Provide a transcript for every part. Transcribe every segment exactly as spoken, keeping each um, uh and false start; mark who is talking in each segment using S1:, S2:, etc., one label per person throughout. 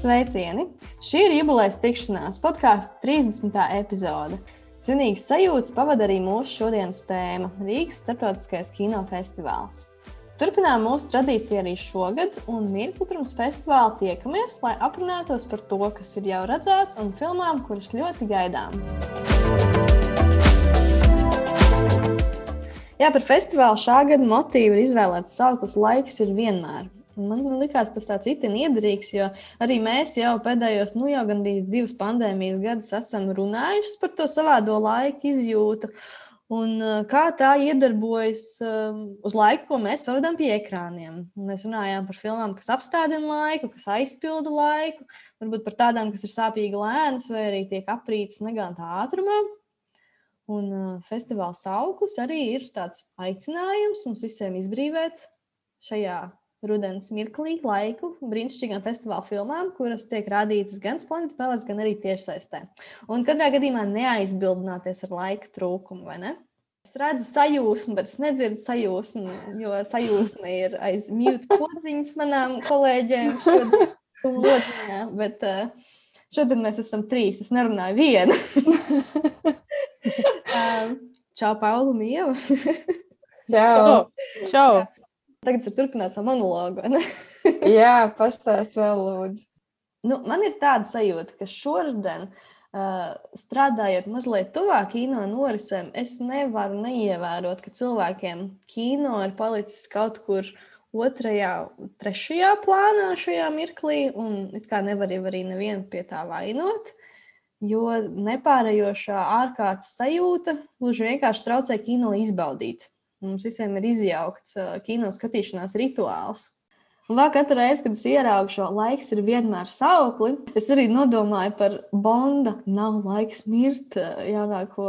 S1: sveicieni! Šī ir jubilejas tikšanās podkāsta trīsdesmitā epizode. Zinīgs sajūtas pavada arī mūsu šodienas tēma – Rīgas starptautiskais kinofestivāls. Turpinām mūsu tradīciju arī šogad, un mirkli pirms festivāla tiekamies, lai aprunātos par to, kas ir jau redzēts, un filmām, kuras ļoti gaidām. Jā, par festivālu šā gada motīvu ir izvēlēts sauklis Laiks ir vienmēr. Man likās tas tāds itin iederīgs, jo arī mēs jau pēdējos, nu jau gandrīz divas pandēmijas gadus esam runājuši par to savādo laika izjūtu. Un kā tā iedarbojas uz laiku, ko mēs pavadām pie ekrāniem. Mēs runājām par filmām, kas apstādina laiku, kas aizpilda laiku, varbūt par tādām, kas ir sāpīgi lēnas vai arī tiek aprītas negantā ātrumā. Un festivāla sauklis arī ir tāds aicinājums mums visiem izbrīvēt šajā rudens mirklī laiku brīnišķīgām festivāla filmām, kuras tiek rādītas gan Splendid Palace, gan arī tiešsaistē. Un katrā gadījumā neaizbildināties ar laika trūkumu, vai ne? Es redzu sajūsmu, bet es nedzirdu sajūsmu, jo sajūsma ir aiz mute podziņas manām kolēģiem šodien lodziņā, bet uh, šodien mēs esam trīs, es nerunāju vienu. um, čau, Paula un Ieva.
S2: Čau. Čau.
S1: Tagad ir turpināt savu monologu, vai ne?
S2: Jā, pastāst vēl lūdzu.
S1: Nu, man ir tāda sajūta, ka šodien, uh, strādājot mazliet tuvāk kino norisēm, es nevaru neievērot, ka cilvēkiem kino ir palicis kaut kur otrajā, trešajā plānā šajā mirklī, un it kā nevar jau arī nevienu pie tā vainot, jo nepārējošā ārkārtas sajūta gluži vienkārši traucē kino izbaudīt. Mums visiem ir izjaukts uh, kino skatīšanās rituāls. Un vēl katru reizi, kad es ieraugu šo Laiks ir vienmēr saukli, es arī nodomāju par Bonda Nav laiks mirt jaunāko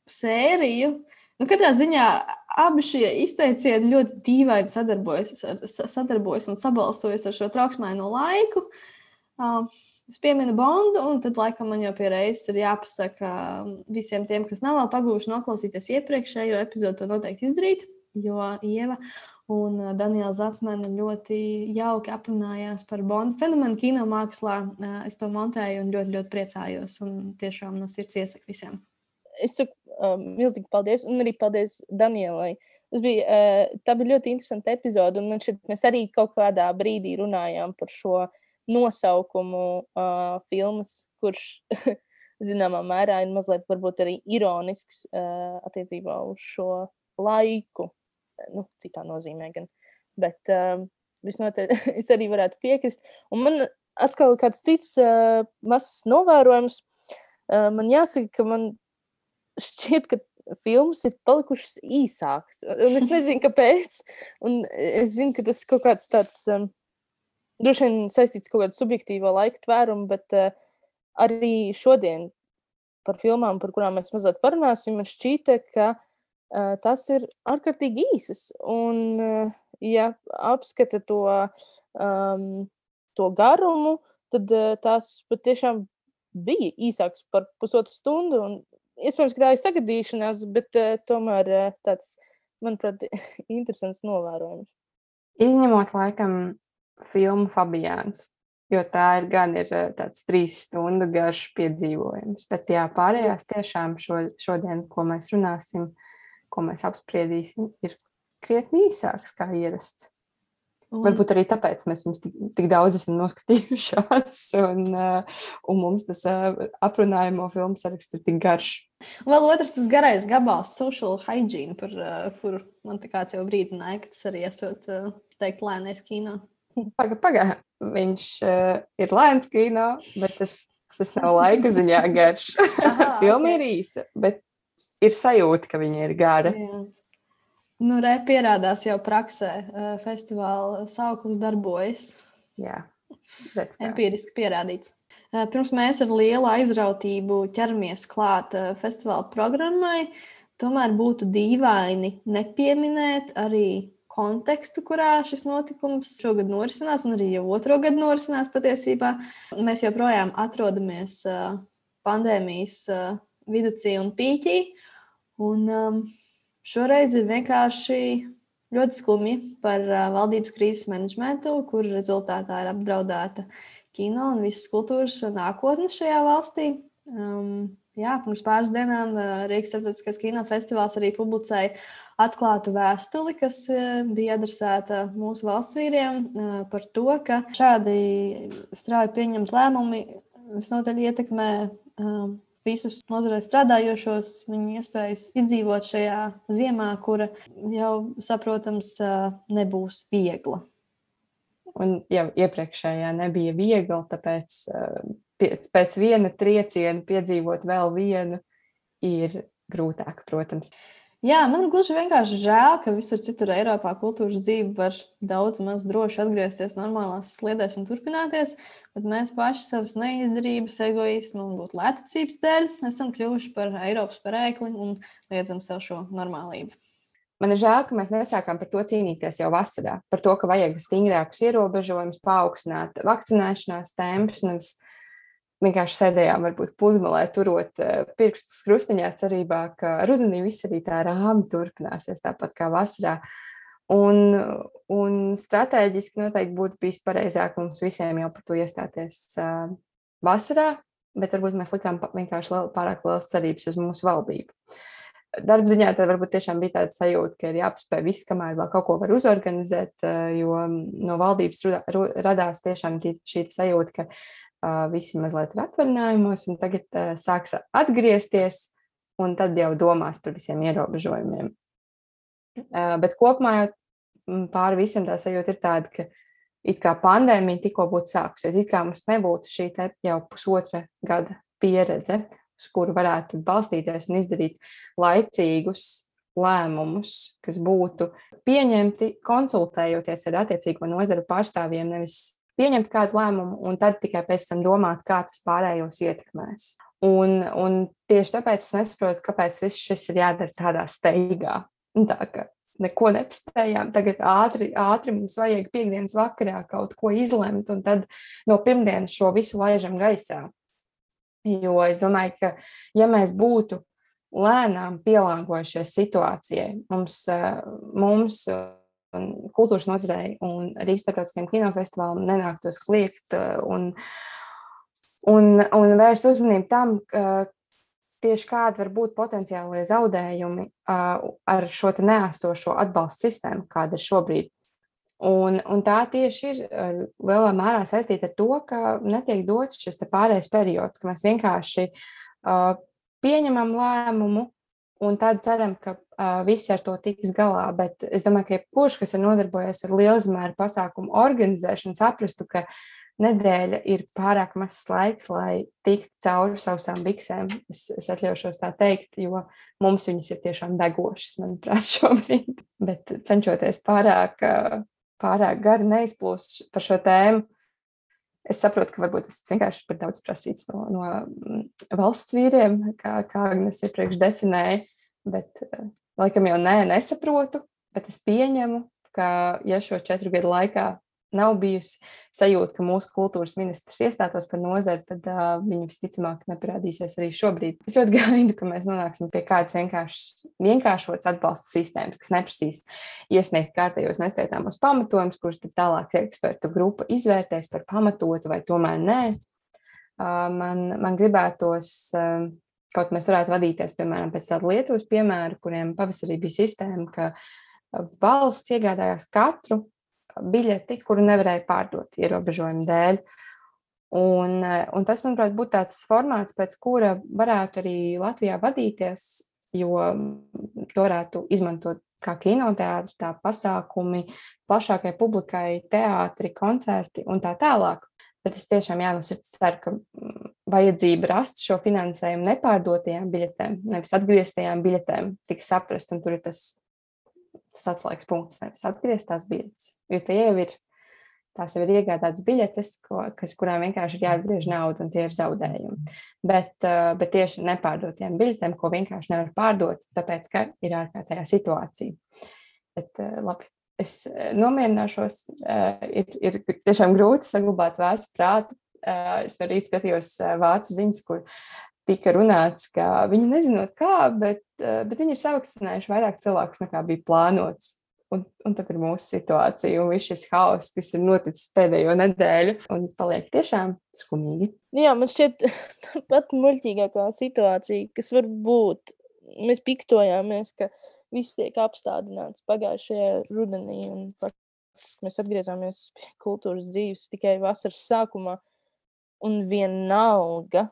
S1: sēriju. Nu, katrā ziņā abi šie izteicieni ļoti dīvaini sadarbojas, ar, sadarbojas un sabalsojas ar šo trauksmaino laiku. Uh, Es pieminu Bondu, un tad laikam man jau pie reizes ir jāpasaka visiem tiem, kas nav vēl pagūši noklausīties iepriekšējo epizodu, to noteikti izdarīt, jo Ieva un Daniela Zatsmane ļoti jauki aprunājās par Bondu fenomenu kino mākslā. Es to montēju un ļoti, ļoti priecājos, un tiešām no sirds iesaku visiem.
S3: Es saku um, milzīgi paldies, un arī paldies Danielai. Tas bija, uh, tā bija ļoti interesanta epizode, un man šeit mēs arī kaut kādā brīdī runājām par šo nosaukumu uh, filmas, kurš zināmā mērā ir mazliet varbūt arī ironisks uh, attiecībā uz šo laiku. Nu, citā nozīmē gan. Bet uh, visnotaļ es arī varētu piekrist. Un man atkal kāds cits uh, mazs novērojums. Uh, man jāsaka, ka man šķiet, ka filmas ir palikušas īsākas. Un es nezinu, kāpēc. Un es zinu, ka tas ir kaut kāds tāds... Um, droši vien saistīts kaut kādu subjektīvo laika tvērumu, bet uh, arī šodien par filmām, par kurām mēs mazliet parunāsim, man šķīta, ka uh, tas ir ārkārtīgi īsas. Un, uh, ja apskata to, um, to garumu, tad uh, tās patiešām bija īsākas par pusotru stundu. Un iespējams, ka tā ir sagadīšanās, bet uh, tomēr uh, tāds, manuprāt, interesants novērojums.
S2: Izņemot laikam filmu Fabijāns, jo tā ir gan ir tāds trīs stundu garš piedzīvojums. Bet jā, pārējās tiešām šo, šodien, ko mēs runāsim, ko mēs apspriedīsim, ir krietni īsāks kā ierasts. Un... Varbūt arī tāpēc mēs mums tik, tik daudz esam noskatījušās, un, un mums tas aprunājamo filmu saraksts ir tik garš.
S1: Un vēl otrs tas garais gabals Social Hygiene, par kuru man tā kāds jau brīdināja, ka tas arī esot teikt lēnais kino.
S2: Paga, paga, viņš uh, ir lēns kino, bet tas, tas nav laika ziņā garš. Aha, filma okay. Ir īsa, bet ir sajūta, ka viņa ir gara.
S1: Jā. Nu, re, pierādās jau praksē, festivāla sauklis darbojas.
S2: Jā, redz kā.
S1: Empiriski pierādīts. Pirms mēs ar lielu aizrautību ķeramies klāt festivāla programmai, tomēr būtu dīvaini nepieminēt arī kontekstu, kurā šis notikums šogad norisinās, un arī jau otro gadu norisinās patiesībā. Mēs joprojām atrodamies uh, pandēmijas uh, viducī un pīķī, un um, šoreiz ir vienkārši ļoti skumji par uh, valdības krīzes menedžmentu, kur rezultātā ir apdraudēta kino un visas kultūras nākotne šajā valstī. Um, jā, pirms pāris dienām uh, Rīgas starptautiskais kinofestivāls arī publicēja atklātu vēstuli, kas uh, bija adresēta mūsu valsts vīriem uh, par to, ka šādi strauji pieņemt lēmumi visnotaļ ietekmē uh, visus nozarē strādājošos, viņu iespējas izdzīvot šajā ziemā, kura jau, saprotams, uh, nebūs viegla.
S2: Un jau iepriekšējā nebija viegli, tāpēc uh, pēc viena trieciena piedzīvot vēl vienu ir grūtāk, protams.
S1: Jā, man gluži vienkārši žēl, ka visur citur Eiropā kultūras dzīve var daudz maz droši atgriezties normālās sliedēs un turpināties, bet mēs paši savas neizdarības, egoismu un būt lētacības dēļ esam kļuvuši par Eiropas parēkli un liedzam sev šo normālību.
S2: Man ir žēl, ka mēs nesākām par to cīnīties jau vasarā, par to, ka vajag stingrākus ierobežojumus, paaugstināt vakcinēšanās tempus, nevis vienkārši sēdējām varbūt pludmalē, turot pirkstus krustiņā cerībā, ka rudenī viss arī tā rāmi turpināsies tāpat kā vasarā. Un, un stratēģiski noteikti būtu bijis pareizāk mums visiem jau par to iestāties uh, vasarā, bet varbūt mēs likām vienkārši liel, pārāk lielas cerības uz mūsu valdību. Darba ziņā tad varbūt tiešām bija tāda sajūta, ka ir jāpaspēj viss, kamēr vēl kaut ko var uzorganizēt, jo no valdības radās tiešām šī sajūta, ka uh, visi mazliet ir atvaļinājumos un tagad uh, sāks atgriezties un tad jau domās par visiem ierobežojumiem. Uh, bet kopumā jau pāri visam tā sajūta ir tāda, ka it kā pandēmija tikko būtu sākusies, it kā mums nebūtu šī te jau pusotra gada pieredze, uz kuru varētu balstīties un izdarīt laicīgus lēmumus, kas būtu pieņemti konsultējoties ar attiecīgo nozaru pārstāvjiem, nevis pieņemt kādu lēmumu un tad tikai pēc tam domāt, kā tas pārējos ietekmēs. Un, un tieši tāpēc es nesaprotu, kāpēc viss šis ir jādara tādā steigā. Un tā, ka neko nepaspējām, tagad ātri, ātri mums vajag piekdienas vakarā kaut ko izlemt un tad no pirmdienas šo visu laižam gaisā. Jo es domāju, ka ja mēs būtu lēnām pielāgojušies situācijai, mums, mums kultūras nozarei un arī starptautiskajiem kinofestivālam nenāktos kliegt un, un, un vērst uzmanību tam, tieši kādi var būt potenciālie zaudējumi ar šo te neesošo atbalstu sistēmu, kāda ir šobrīd. Un, un tā tieši ir lielā mērā saistīta ar to, ka netiek dots šis pārējais periods, ka mēs vienkārši uh, pieņemam lēmumu un tad ceram, ka uh, visi ar to tiks galā. Bet es domāju, ka jebkurš, kas ir nodarbojies ar lielizmēru pasākumu organizēšanu, saprastu, ka nedēļa ir pārāk mazs laiks, lai tiktu cauri sausām biksēm. Es, es atļaušos tā teikt, jo mums viņas ir tiešām degošas, manuprāt, šobrīd. Bet cenšoties pārāk... Uh, pārāk gari neizplūst par šo tēmu. Es saprotu, ka varbūt tas vienkārši ir par daudz prasīts no, no valsts vīriem, kā, kā Agnes iepriekš definēja, bet laikam jau nē, nesaprotu, bet es pieņemu, ka ja šo četru gadu laikā nav bijusi sajūta, ka mūsu kultūras ministrs iestātos par nozari, tad uh, viņa visticamāk neparādīsies arī šobrīd. Es ļoti gaidu, ka mēs nonāksim pie kādas vienkāršotas atbalsta sistēmas, kas neprasīs iesniegt kārtējos neskaitāmos pamatojumus, kurus tad tālāk ekspertu grupa izvērtēs par pamatotu vai tomēr nē. Uh, man, man gribētos, uh, kaut mēs varētu vadīties, piemēram, pēc tāda Lietuvas piemēra, kuriem pavasarī bija sistēma, ka valsts iegādājās katru biļeti, kuru nevarēja pārdot ierobežojumu dēļ. Un, un tas, manuprāt, būtu tāds formāts, pēc kura varētu arī Latvijā vadīties, jo to varētu izmantot kā kinoteātri, tā pasākumi, plašākai publikai, teātri, koncerti un tā tālāk. Bet es tiešām jānosirds ceru, ka vajadzība rast šo finansējumu nepārdotajām biļetēm, nevis atgrieztajām biļetēm, tik saprast, un tur ir tas tas atslēgas punkts, nevis atgriezt tās biļetes, jo tie jau ir, tās jau ir iegādātas biļetes, ko, kas, kurām vienkārši ir jāatgriež nauda un tie ir zaudējumi. Bet, bet tieši nepārdotiem biļetēm, ko vienkārši nevar pārdot, tāpēc, ka ir ārkārtējā situācija. Bet labi, es nomierināšos, ir, ir tiešām grūti saglabāt vēsu prātu. Es no rīt skatījos vācu ziņas, kur tika runāts, ka viņi nezinot kā, bet, bet viņi ir savakcinējuši vairāk cilvēkus nekā bija plānots. un, un tad ir mūsu situācija, un viss šis haoss, kas ir noticis pēdējo nedēļu, un paliek tiešām skumīgi.
S3: Jā, man šķiet pat muļķīgākā situācija, kas var būt. Mēs piktojāmies, ka viss tiek apstādināts pagājušajā rudenī, un faktiski mēs atgriezāmies pie kultūras dzīves tikai vasaras sākumā, un vienalga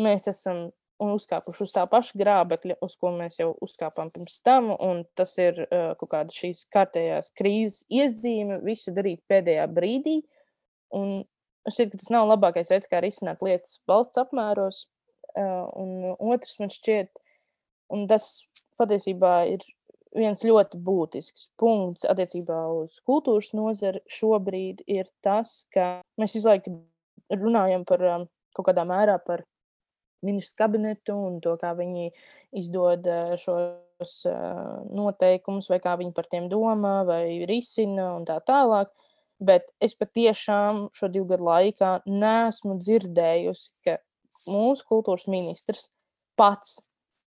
S3: mēs esam uzkāpuši uz tā paša grābekļa, uz ko mēs jau uzkāpām pirms tam, un tas ir uh, kaut kāda šīs kārtējās krīzes iezīme, visu darīt pēdējā brīdī, un es šķiet, ka tas nav labākais veids, kā risināt lietas valsts apmēros, uh, un otrs man šķiet, un tas patiesībā ir viens ļoti būtisks punkts attiecībā uz kultūras nozari šobrīd ir tas, ka mēs visu laiku runājam par um, kaut kādā mērā par ministru kabinetu un to, kā viņi izdod uh, šos uh, noteikumus, vai kā viņi par tiem domā, vai risina un tā tālāk. Bet es patiešām šo divu gadu laikā neesmu dzirdējusi, ka mūsu kultūras ministrs pats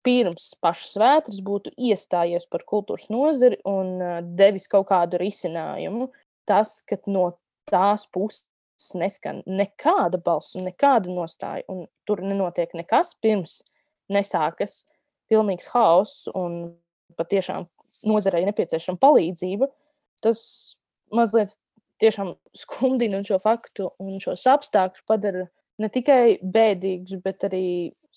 S3: pirms pašas vētras būtu iestājies par kultūras nozari un uh, devis kaut kādu risinājumu. Tas, ka no tās puses neskan nekāda balss un nekāda nostāja, un tur nenotiek nekas pirms nesākas pilnīgs haoss un patiešām nozarei nepieciešama palīdzība, tas mazliet tiešām skumdina šo faktu un šos apstākļus padara ne tikai bēdīgus, bet arī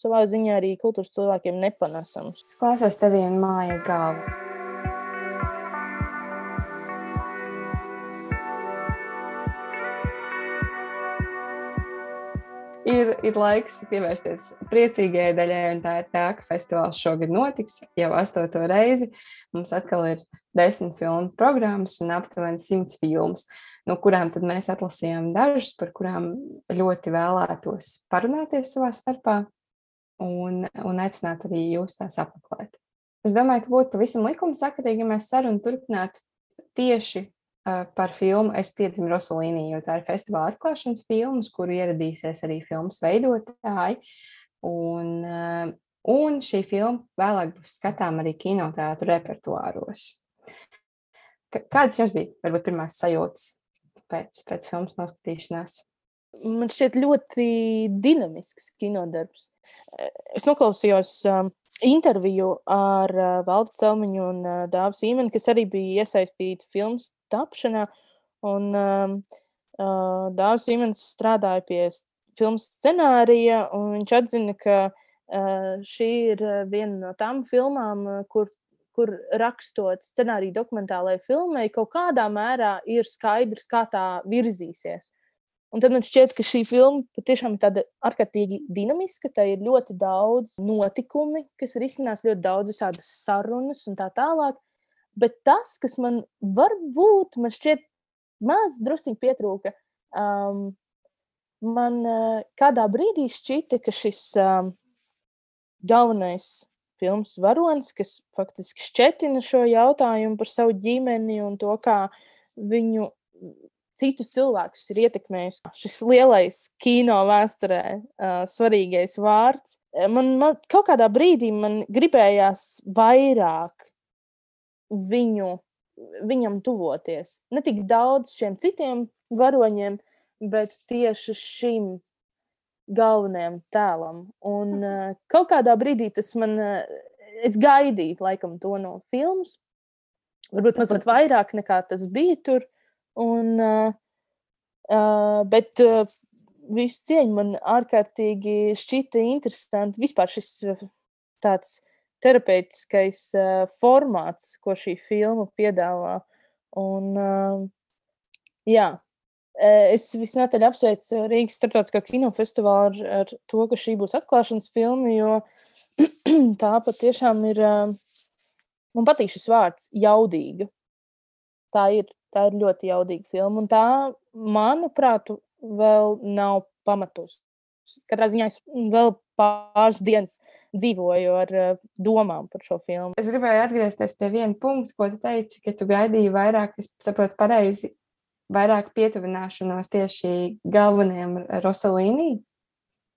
S3: savā ziņā arī kultūras cilvēkiem nepanesams.
S2: Es klausos tevī un māja galvu. Ir, ir laiks pievērsties priecīgajai daļai, un tā ir tā, ka festivāls šogad notiks jau astoto reizi. Mums atkal ir desmit filmu programmas un aptuveni simts filmas, no kurām tad mēs atlasījām dažas, par kurām ļoti vēlētos parunāties savā starpā un, un aicināt arī jūs tās apmeklēt. Es domāju, ka būtu pavisam likumsakarīgi, ja mēs sarunu turpinātu tieši par filmu Es piedzimu Rosolīnī, jo tā ir festivāla atklāšanas filmas, kuru ieradīsies arī filmas veidotāji. Un, un šī filma vēlāk būs skatām arī kinoteātru repertuāros. Kādas jums bija, varbūt, pirmās sajūtas pēc, pēc filmas noskatīšanās?
S3: Man šķiet ļoti dinamisks kinodarbs. Es noklausījos um, interviju ar uh, Valdu Celmiņu un uh, Dāvu Sīmeni, kas arī bija iesaistīti filmas tapšanā. Un um, uh, Dāvs Sīmenis strādāja pie filmas scenārija, un viņš atzina, ka uh, šī ir viena no tām filmām, kur, kur rakstot scenāriju dokumentālajai filmai, kaut kādā mērā ir skaidrs, kā tā virzīsies. Un tad man šķiet, ka šī filma patiešām ir tāda ārkārtīgi dinamiska, tā ir ļoti daudz notikumi, kas risinās ļoti daudz visādas sarunas un tā tālāk. Bet tas, kas man varbūt, man šķiet maz drusciņi pietrūka, um, man uh, kādā brīdī šķita, ka šis um, galvenais filmas varonis, kas faktiski šķetina šo jautājumu par savu ģimeni un to, kā viņu citus cilvēkus ir ietekmējis šis lielais kino vēsturē uh, svarīgais vārds. Man, man kaut kādā brīdī man gribējās vairāk viņu, viņam tuvoties. Ne tik daudz šiem citiem varoņiem, bet tieši šim galvenajam tēlam. Un uh, kaut kādā brīdī tas man, uh, es gaidīju laikam to no filmas. Varbūt mazliet vairāk nekā tas bija tur. Un, uh, uh, bet uh, visu cieņu man ārkārtīgi šķita interesanti vispār šis uh, tāds terapeitiskais uh, formāts, ko šī filma piedāvā. Un, uh, jā, es visnotaļ apsveicu Rīgas starptautiskā kinofestivālu ar, ar to, ka šī būs atklāšanas filma, jo tā patiešām ir, uh, man patīk šis vārds, jaudīga. Tā ir. Tā ir ļoti jaudīga filma, un tā, manuprāt, vēl nav pamatus. Katrā ziņā es vēl pāris dienas dzīvoju ar uh, domām par šo filmu.
S2: Es gribēju atgriezties pie viena punkta, ko tu teici, ka tu gaidīji vairāk, es saprotu pareizi, vairāk pietuvināšanos tieši galvenajam Rosolīnī?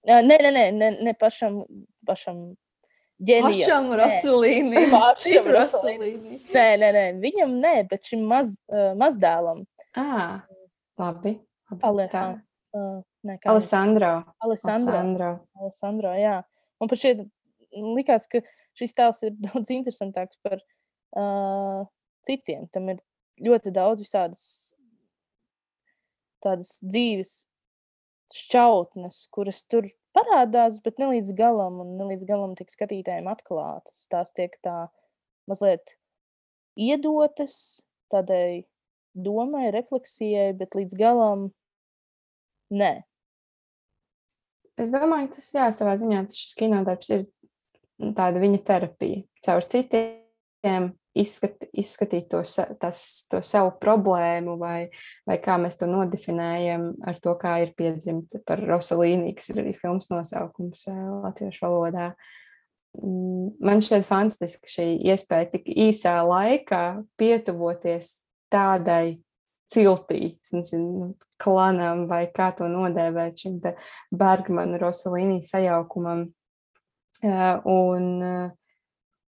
S3: Uh, nē, nē, nē, ne, ne pašam, pašam ģenija.
S1: Pašam Rosalīni.
S3: Pašam
S1: Rosalīni.
S3: Nē, nē, nē, viņam nē, bet šim maz, uh, mazdēlam.
S2: Ah, labi. labi.
S3: Alejandro. Uh, nē, kā
S2: Alessandro.
S3: Alessandro.
S2: Alessandro.
S3: Alessandro, jā. Un pat šeit likās, ka šis tēls ir daudz interesantāks par uh, citiem. Tam ir ļoti daudz visādas tādas dzīves šķautnes, kuras tur parādās, bet ne līdz galam, un ne līdz galam tiek skatītājiem atklātas. Tās tiek tā mazliet iedotas tādai domai, refleksijai, bet līdz galam nē.
S2: Es domāju, ka tas, jā, savā ziņā šis kinodarbs ir tāda viņa terapija. Caur citiem izskat, izskatīt to, tas, to savu problēmu vai, vai kā mēs to nodefinējam ar to, kā ir piedzimta par Rosalīni, kas ir arī filmas nosaukums latviešu valodā. Man šķiet fantastiski šī iespēja tik īsā laikā pietuvoties tādai ciltī, nezinu, klanam vai kā to nodēvēt šim te Bergmana Rosalīni sajaukumam. Un,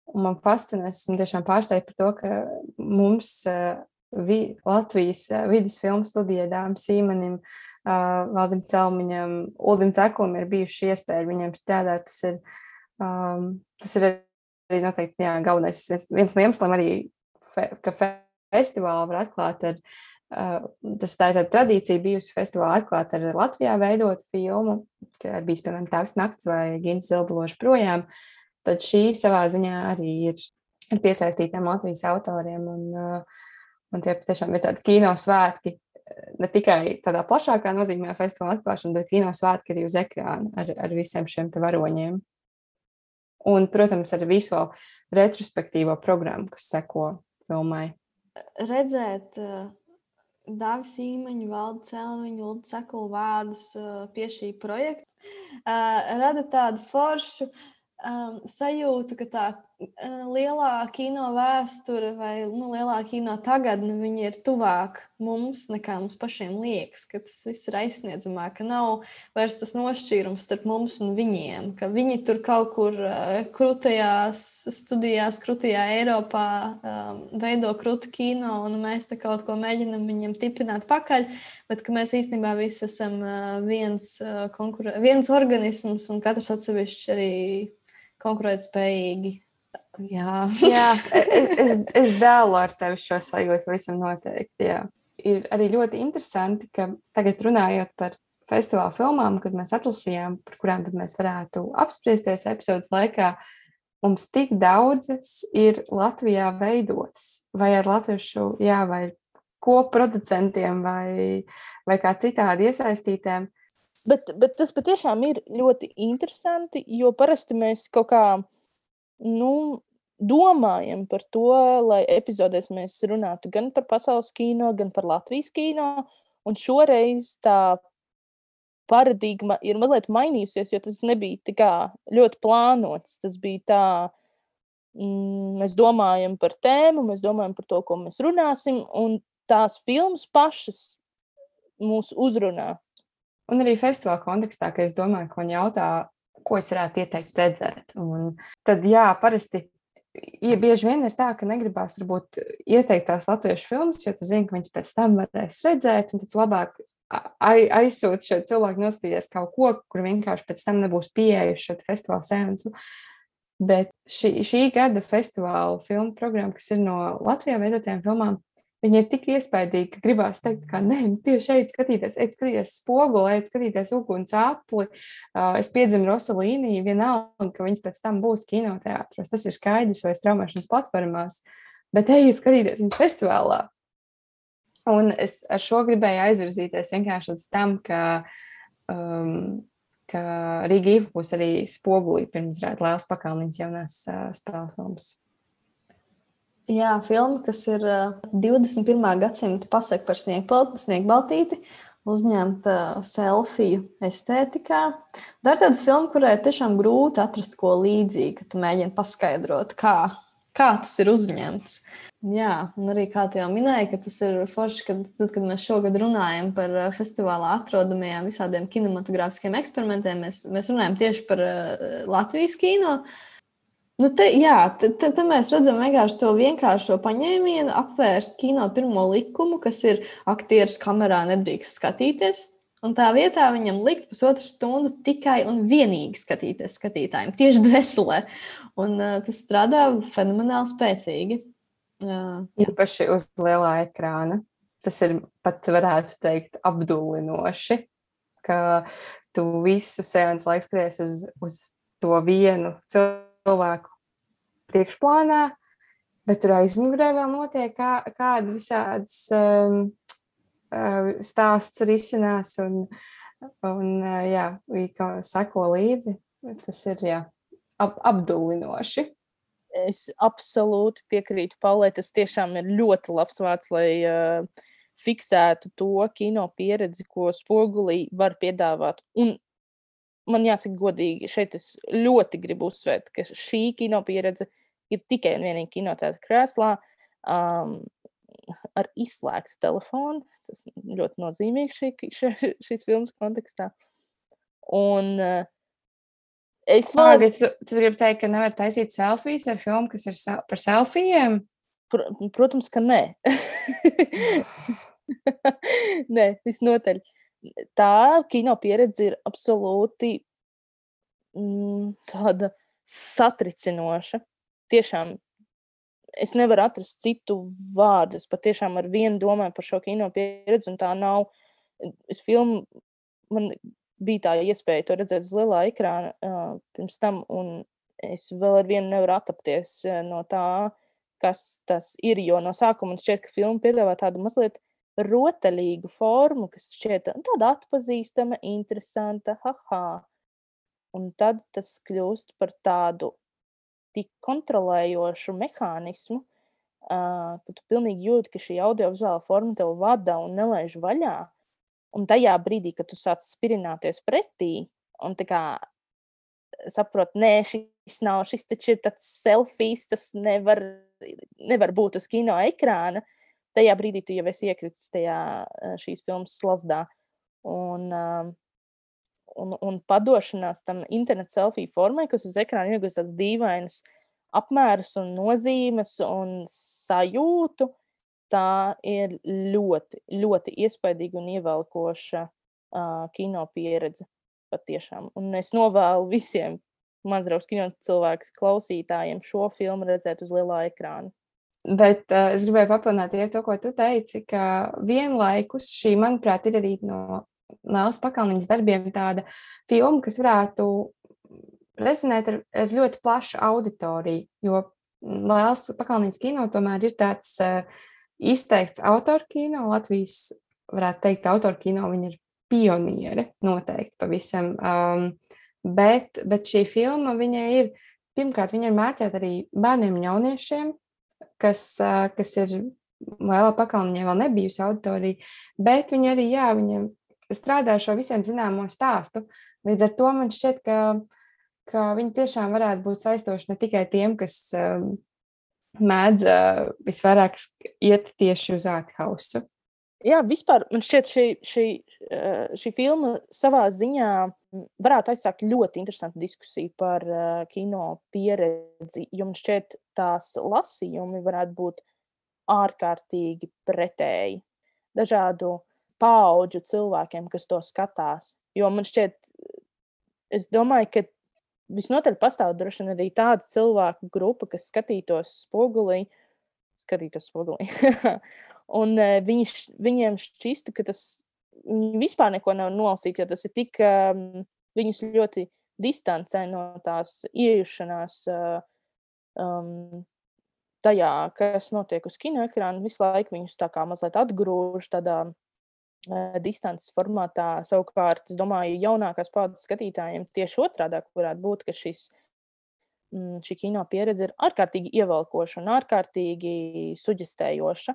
S2: un man fascinē, esmu tiešām pārsteigta par to, ka mums vi, Latvijas vidas filmu studijai Dāmam Sīmanim, Valdim Celmiņam, Uldim Ceklim ir bijuši iespēja viņiem strādāt. Tas ir, um, tas ir arī noteikti jā, galvenais viens, viens no iemesliem arī, fe, ka festivālu var atklāt ar Uh, tas tā ir tāda tradīcija bijusi festivālā atklāt ar Latvijā veidotu filmu, ka bijis, piemēram, Tēvs nakts vai Gints Zilbaloši projām, tad šī savā ziņā arī ir ar piesaistītiem Latvijas autoriem, un, uh, un tie patiešām ir tādi kino svētki, ne tikai tādā plašākā nozīmē festivāla atklāšana, bet kino svētki arī uz ekrāna ar, ar visiem šiem te varoņiem. Un, protams, ar visu retrospektīvo programmu, kas seko filmai.
S1: Redzēt uh... Dāvi Sīmaņu, Valdu Celmiņu, Uldu Cekulu vārdus uh, pie šī projekta uh, rada tādu foršu um, sajūtu, ka tā uh, lielā kino vēsture vai nu, lielā kino tagadne viņa ir tuvāk mums, nekā mums pašiem liekas, ka tas viss ir aizsniedzamāk, ka nav vairs tas nošķīrums starp mums un viņiem, ka viņi tur kaut kur uh, krūtajās studijās, krūtajā Eiropā um, veido krūtu kino, un mēs te kaut ko mēģinam viņiem tipināt pakaļ, bet ka mēs īstenībā visi esam uh, viens, uh, konkur- viens organisms un katrs atsevišķi arī konkurēt spējīgi. Jā,
S2: jā es, es, es dēlu ar tevi šo sajūtu pavisam noteikti, jā. Ir arī ļoti interesanti, ka tagad runājot par festivāla filmām, kad mēs atlasījām, par kurām tad mēs varētu apspriesties epizodes laikā, mums tik daudzas ir Latvijā veidotas, vai ar latviešu, jā, vai koproducentiem, vai, vai kā citādi iesaistītēm.
S3: Bet, bet tas patiešām ir ļoti interesanti, jo parasti mēs kaut kā, nu, domājam par to, lai epizodēs mēs runātu gan par pasaules kino, gan par Latvijas kino, un šoreiz tā paradigma ir mazliet mainījusies, jo tas nebija tā kā ļoti plānots, tas bija tā, mm, mēs domājam par tēmu, mēs domājam par to, ko mēs runāsim, un tās filmas pašas mūs uzrunā.
S2: Un arī festivāla kontekstā, ka es domāju, ko viņi jautā, ko es varētu ieteikt redzēt. Un tad, jā, parasti ja bieži vien ir tā, ka negribās varbūt ieteikt tās latviešu filmas, jo tu zini, ka viņas pēc tam varēs redzēt, un tad labāk aizsūti šo cilvēku noskatīties kaut ko, kur vienkārši pēc tam nebūs pieeja šo festivāla seansu. Bet šī, šī gada festivāla filmu programma, kas ir no Latvijā veidotajām filmām, viņi ir tik iespaidīgi, ka gribās teikt, ka nē, tieši eit skatīties, eit skatīties spoguli, eit skatīties uguns apli. Uh, es piedzinu Rosalīni, vienalga, ka viņas pēc tam būs kinoteātros. Tas ir skaidrs vai straumēšanas platformās, bet ejiet skatīties viņas festivālā. Un es ar šo gribēju aizvirzīties vienkārši līdz tam, ka, um, ka Rīga Iva būs arī spogulī pirms rāda Lēlas Pakalniņas jaunās uh, spēles filmas.
S1: Jā, filma, kas ir uh, divdesmit pirmā gadsimta pasaka par Sniegbaltīti, uzņemta selfiju estētikā. Tā ir tāda filma, kurai ir tiešām grūti atrast ko līdzīgi, ka tu mēģini paskaidrot, kā, kā tas ir uzņemts. Jā, un arī kā tu jau minēji, ka tas ir forši, kad, tad, kad mēs šogad runājam par festivālā atrodamajām visādiem kinematogrāfiskiem eksperimentiem, mēs, mēs runājam tieši par uh, Latvijas kino. Nu te, jā, te, te, te mēs redzam vienkārši to vienkāršo paņēmienu, apvērst kino pirmo likumu, kas ir aktieris kamerā nedrīkst skatīties. Un tā vietā viņam likt pusotru stundu tikai un vienīgi skatīties skatītājiem, tieši dveselē. Un uh, tas strādā fenomenāli spēcīgi. Uh,
S2: Īpaši uz lielā ekrāna. Tas ir pat, varētu teikt, apdullinoši, ka tu visu seansu laiku skaties uz, uz to vienu cilvēku priekšplānā, bet tur aizmugurē vēl notiek kā, kāda visādas um, stāsts risinās un, un jā, kā sako līdzi. Tas ir, jā, ap, apdullinoši.
S3: Es absolūti piekrītu Paulai, tas tiešām ir ļoti labs vārds, lai uh, fiksētu to kino pieredzi, ko Spogulī var piedāvāt. Un man jāsaka godīgi, šeit es ļoti gribu uzsvērt, ka šī kino pieredze ir tikai un vienīgi kinoteātra krēslā um, ar izslēgtu telefonu. Tas ļoti nozīmīgi šī, šī, šīs filmas kontekstā. Un uh, es vēl...
S2: Pāgi, tu, tu gribi teikt, ka nevar taisīt selfijas ar filmu, kas ir sel- par selfijiem?
S3: Pr protams, ka nē. Nē, visnotaļ. Tā kino pieredze ir absolūti mm, tāda satricinoša. Tiešām, es nevaru atrast citu vārdu. Es patiešām ar vienu domāju par šo kino pieredzi, un tā nav. Es filmu, man bija tā iespēja to redzēt uz lielā ekrāna uh, pirms tam, un es vēl ar vienu nevaru attapties uh, no tā, kas tas ir, jo no sākuma man šķiet, ka filma piedāvā tādu mazliet rotaļīgu formu, kas šķiet tāda atpazīstama, interesanta, haha. Un tad tas kļūst par tādu tik kontrolējošu mehānismu, uh, ka tu pilnīgi jūti, ka šī audiovizuāla forma tev vada un nelaiž vaļā. Un tajā brīdī, kad tu sāc spirināties pretī, un tā kā saprot, nē, šis nav, šis taču ir tāds selfijs, tas nevar, nevar būt uz kino ekrāna, tajā brīdī tu jau esi iekritis tajā šīs filmas slazdā. Un, un, un padošanās tam internet selfiju formai, kas uz ekrāna iegūst tāds dīvainas apmērus un nozīmes un sajūtu, tā ir ļoti, ļoti iespaidīga un ievelkoša uh, kino pieredze patiešām. Un es novēlu visiem Mazravas kino cilvēks klausītājiem šo filmu redzēt uz lielā ekrāna.
S2: Bet uh, es gribēju papilnāt ja to, ko tu teici, ka vienlaikus šī, manuprāt, ir arī no Lēlas Pakalniņas darbiem tāda filma, kas varētu rezonēt ar, ar ļoti plašu auditoriju, jo Lēlas Pakalniņas kino tomēr ir tāds uh, izteikts autorkino, Latvijas, varētu teikt, autorkino, viņa ir pioniere, noteikti pavisam, um, bet, bet šī filma, viņa ir, pirmkārt, viņa ir mērķēta arī bērniem un jauniešiem, kas, uh, kas ir Lēlā Pakalniņai vēl nebijusi auditorija, bet viņa arī, jā, viņa strādā šo visiem zināmo stāstu. Līdz ar to man šķiet, ka, ka viņa tiešām varētu būt saistoši ne tikai tiem, kas um, mēdz uh, visvairāk iet tieši uz ārthausu.
S3: Jā, vispār man šķiet šī, šī, šī filma savā ziņā varētu aizsākt ļoti interesantu diskusiju par uh, kino pieredzi, jo man šķiet tās lasījumi varētu būt ārkārtīgi pretēji dažādu paudžu cilvēkiem, kas to skatās. Jo man šķiet, es domāju, ka visnotaļ pastāv droši vien arī tāda cilvēku grupa, kas skatītos Spogulī, skatītos Spogulī, un uh, viņi, viņiem šķistu, ka tas viņi vispār neko nav nolasīt, jo tas ir tik, um, viņus ļoti distancē no tās iejušanās uh, um, tajā, kas notiek uz kinoekrāna, visu laiku viņus tā kā mazliet atgrūž tādā distances formātā. Savukārt, es domāju, jaunākās paudzes skatītājiem tieši otrādāk varētu būt, ka šis, šī kino pieredze ir ārkārtīgi ievelkoša un ārkārtīgi suģestējoša.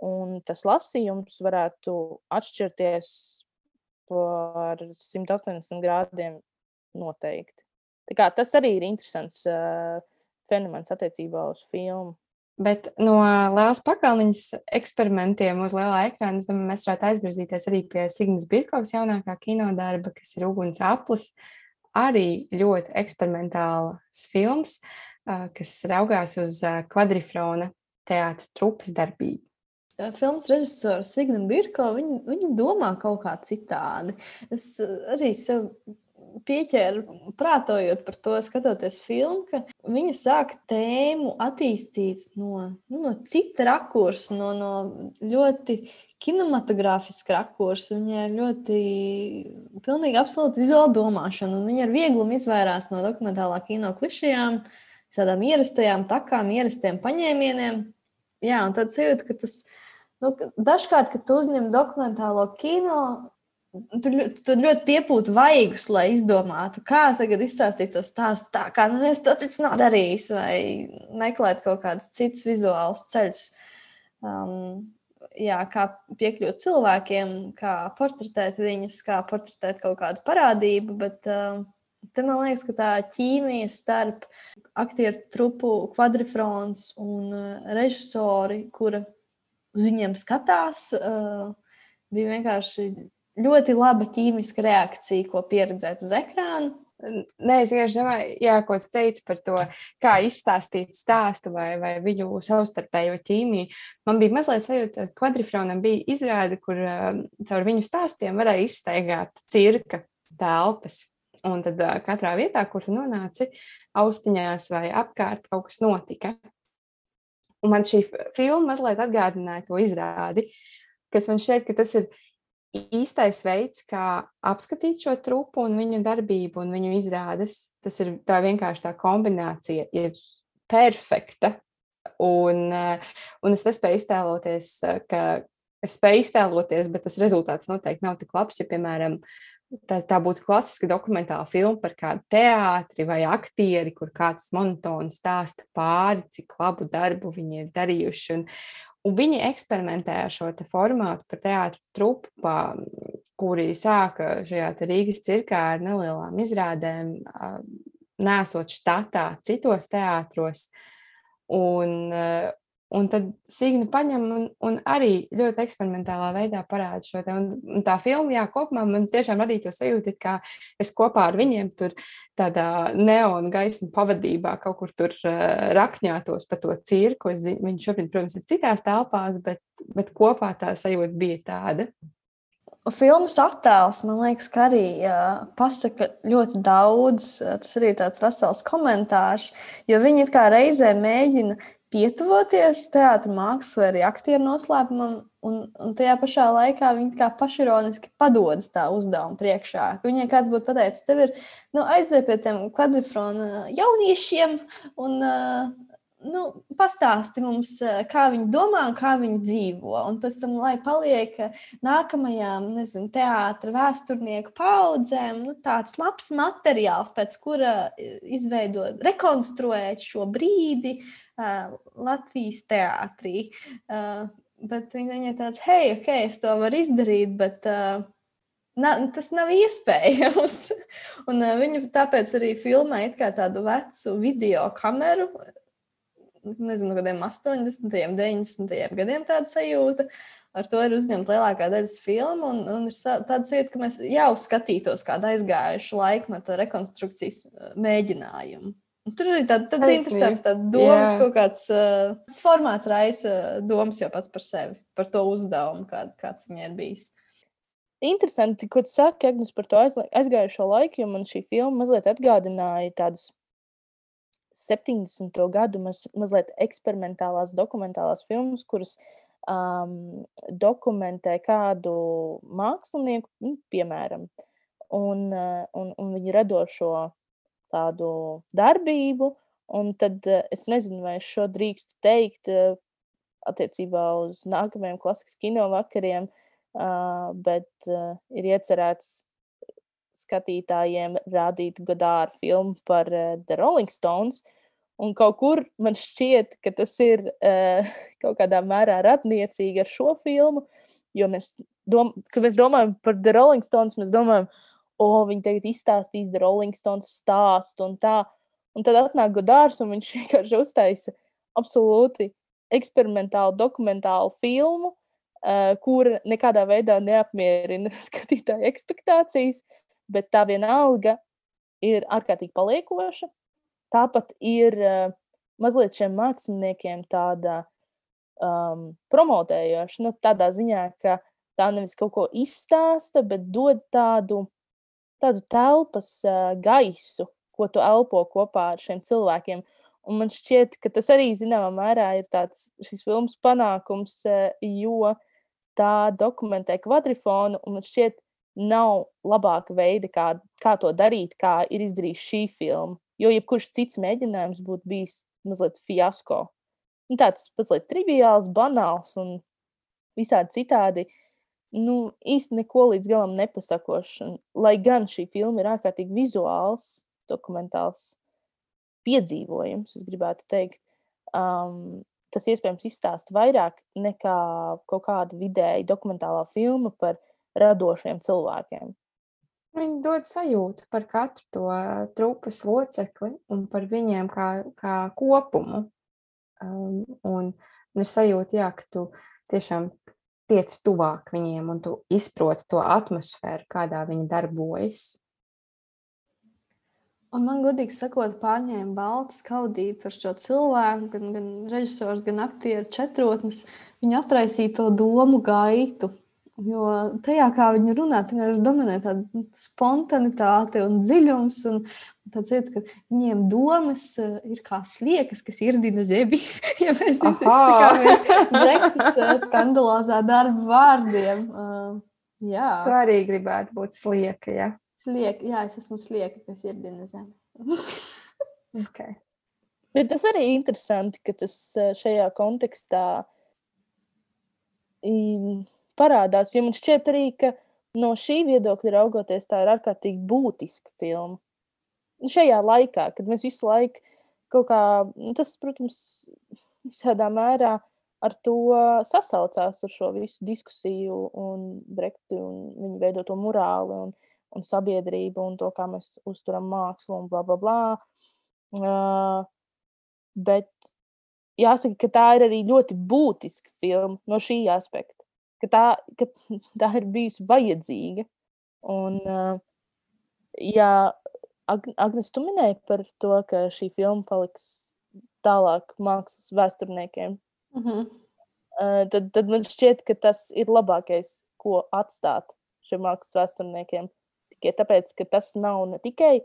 S3: Un tas lasījums varētu atšķirties par simt astoņdesmit grādiem noteikti. Tā kā tas arī ir interesants uh, fenomens attiecībā uz filmu.
S2: Bet no Lēlas Pakalniņas eksperimentiem uz lielā ekrāna, es domāju, mēs varētu aizvirzīties arī pie Signas Birkovas jaunākā kinodarba, kas ir Uguns aplis, arī ļoti eksperimentāls films. kas raugās uz Kvadrifrona teātra trupas darbību.
S1: Filmas režisors Signa Birko, viņa, viņa domā kaut kā citādi. Es arī sev pieķēru, prātojot par to, skatoties filmu, ka viņa sāk tēmu attīstīt no, nu, no cita rakursa, no, no ļoti kinematogrāfiska rakursa. Viņa ir ļoti pilnīgi absolūti vizuāla domāšana, un viņa ar vieglumu izvairās no dokumentālā kino klišejām, visādām ierastajām takām, ierastiem paņēmieniem. Jā, un tad sajūta, ka tas Nu, dažkārt, kad tu uzņem dokumentālo kino, tu, tu ļoti piepūti vaigus, lai izdomātu, kā tagad izstāstīt to stāstu tā, kā nu viens to cits nav darījis, vai meklēt kaut kādus citus vizuālus ceļus, um, jā, kā piekļūt cilvēkiem, kā portretēt viņus, kā portretēt kaut kādu parādību, bet um, te man liekas, ka tā ķīmija starp aktieru trupu Kvadrifrons un uh, režisori, kura uz viņiem skatās, uh, bija vienkārši ļoti laba ķīmiska reakcija, ko pieredzēt uz ekrāna.
S2: Nē, es vienkārši domāju, jā, ko tu teici par to, kā izstāstīt stāstu vai, vai viņu savstarpējo ķīmiju. Man bija mazliet sajūta, ka Kvadrifronam bija izrāde, kur uh, caur viņu stāstiem varēja izstaigāt cirka telpas. Un tad uh, katrā vietā, kur tu nonāci, austiņās vai apkārt kaut kas notika. Un man šī filma mazliet atgādināja to izrādi, kas man šķiet, ka tas ir īstais veids, kā apskatīt šo trupu un viņu darbību un viņu izrādes. Tas ir tā vienkārši tā kombinācija ir perfekta. Un, un es nespēju iztēloties, ka es spēju iztēloties, bet tas rezultāts noteikti nav tik labs, ja, piemēram, Tā, tā būtu klasiska dokumentāla filma par kādu teātri vai aktieri, kur kāds monotoni stāsta pāri, cik labu darbu viņi ir darījuši. Un, un viņi eksperimentē ar šo te formātu par teātru trupu, kuri sāka šajā te Rīgas cirkā ar nelielām izrādēm, nesot štatā citos teātros. Un, Un tad Signa paņem un, un arī ļoti eksperimentālā veidā parāda šo te. Un, un tā filma, jā, kopumā man tiešām radīja to sajūtu, kā es kopā ar viņiem tur tādā neona gaismu pavadībā kaut kur tur uh, rakņātos pa to cirku. Es, viņi šobrīd, protams, ir citās telpās, bet, bet kopā tā sajūta bija tāda.
S1: Filmas attēls, man liekas, ka arī uh, pasaka ļoti daudz. Tas arī tāds vesels komentārs, jo viņi it kā reizē mēģina pietuvoties teātra mākslā, arī aktieru noslēpumam, un, un tajā pašā laikā viņi kā pašironiski padodas tā uzdevuma priekšā. Viņai kāds būtu pateicis, tev ir nu, aiziet pie tiem Kvadrifrona jauniešiem un uh, nu, pastāsti mums, kā viņi domā un kā viņi dzīvo. Un pēc tam, lai paliek nākamajām, nezinu, teātra vēsturnieku paudzēm, nu, tāds labs materiāls, pēc kura izveidot, rekonstruēt šo brīdi uh, Latvijas teātrī. Uh, bet viņi ir tāds, hei, ok, es to varu izdarīt, bet uh, na, tas nav iespējams. Un uh, viņi tāpēc arī filmē it kā tādu vecu video kameru, nezinu, kādiem astoņdesmitajiem, deviņdesmitajiem gadiem tāda sajūta. Ar to ir uzņemta lielākā daļas filma, un, un ir tāda sajūta, ka mēs jau skatītos kādu aizgājušu laikmetu rekonstrukcijas mēģinājumu. Un tur arī tāda, tāda interesanta tāda domas, kaut kāds uh, formāts raisa domas jau pats par sevi, par to uzdevumu, kād, kāds viņai ir bijis.
S3: Interesanti, ko tu saki, Agnes, par to aizgājušo laiku, jo man šī filma mazliet atgādināja tādus septiņdesmito gadu maz, mazliet eksperimentālās dokumentālās filmas, kuras um, dokumentē kādu mākslinieku, nu, piemēram, un, uh, un, un viņu radošo tādu darbību, un tad uh, es nezinu, vai es šo drīkstu teikt uh, attiecībā uz nākamajiem klasikas kino vakariem, uh, bet uh, ir iecerēts skatītājiem rādīt Godāra filmu par uh, The Rolling Stones, un kaut kur man šķiet, ka tas ir uh, kaut kādā mērā radniecīgi ar šo filmu, jo mēs, dom kad mēs domājam par The Rolling Stones, mēs domājam, o, viņi tagad izstāstīs The Rolling Stones stāstu un tā, un tad atnāk Godārs un viņš vienkārši uztaisa absolūti eksperimentālu, dokumentālu filmu, uh, kura nekādā veidā neapmierina skatītāju ekspektācijas, bet tā vienalga ir ārkārtīgi paliekoša. tāpat ir uh, mazliet šiem māksliniekiem tāda um, promotējoša, nu, tādā ziņā, ka tā nevis kaut ko izstāsta, bet dod tādu, tādu telpas uh, gaisu, ko tu elpo kopā ar šiem cilvēkiem. Un man šķiet, ka tas arī, zināmā mērā, ir tāds šis filmas panākums, uh, jo tā dokumentē kvadrifonu, un man šķiet, nav labāka veida, kā, kā to darīt, kā ir izdarījis šī filma. Jo jebkurš cits mēģinājums būtu bijis mazliet fiasko. Un tāds mazliet triviāls, banāls un visādi citādi, nu, īsti neko līdz galam nepasakošs. Un, lai gan šī filma ir ārkārtīgi vizuāls, dokumentāls piedzīvojums, es gribētu teikt, um, tas iespējams izstāsta vairāk nekā kaut kāda vidēji dokumentālā filma par radošiem cilvēkiem.
S2: Viņi dod sajūtu par katru to trupas locekli un par viņiem kā, kā kopumu. Um, un, un ir sajūta, jā, ka tu tiešām tiec tuvāk viņiem un tu izproti to atmosfēru, kādā viņi darbojas.
S1: Un man, godīgi sakot, pārņēma balta skaudība par šo cilvēku, gan, gan režisors, gan aktieru četrotnes. Viņi atraisīja to domu gaitu. Jo tajā, kā viņi runā, viņam dominē tāda spontanitāte un dziļums. Un tāds ir, ka viņiem domas ir kā sliekas, kas irdina zemi. Ja mēs izsakāmies Brektas skandalozā darba vārdiem. Uh, jā.
S2: Tu arī gribētu būt slieka, ja?
S1: Slieka, jā, es esmu slieka, kas irdina zemi.
S2: Okay.
S3: Bet tas arī interesanti, ka tas šajā kontekstā parādās, jo man šķiet arī, ka no šī viedokļa raugoties tā ir ārkārtīgi būtiska filma. Šajā laikā, kad mēs visu laiku kaut kā, tas, protams, visādā mērā ar to sasaucās ar šo visu diskusiju un Brektu un viņu veidoto morāli un, un sabiedrību un to, kā mēs uzturam mākslu un bla, bla, bla. Uh, bet jāsaka, ka tā ir arī ļoti būtiska filma no šī aspekta. Ka tā, ka tā ir bijusi vajadzīga. Un, uh, jā, Agnes, tu minēji par to, ka šī filma paliks tālāk mākslas vēsturniekiem.
S1: Mhm.
S3: Uh, tad, tad man šķiet, ka tas ir labākais, ko atstāt šiem mākslas vēsturniekiem. Tikai tāpēc, ka tas nav ne tikai,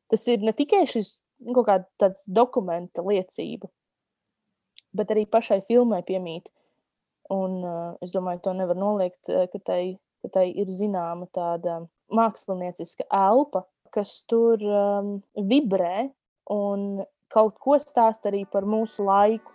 S3: tas ir ne tikai šis kaut kāda tāds dokumenta liecība, bet arī pašai filmai piemīt. Un uh, es domāju, to nevar noliegt, ka tai, ka tai ir zināma tāda mākslinieciska elpa, kas tur um, vibrē un kaut ko stāst arī par mūsu laiku.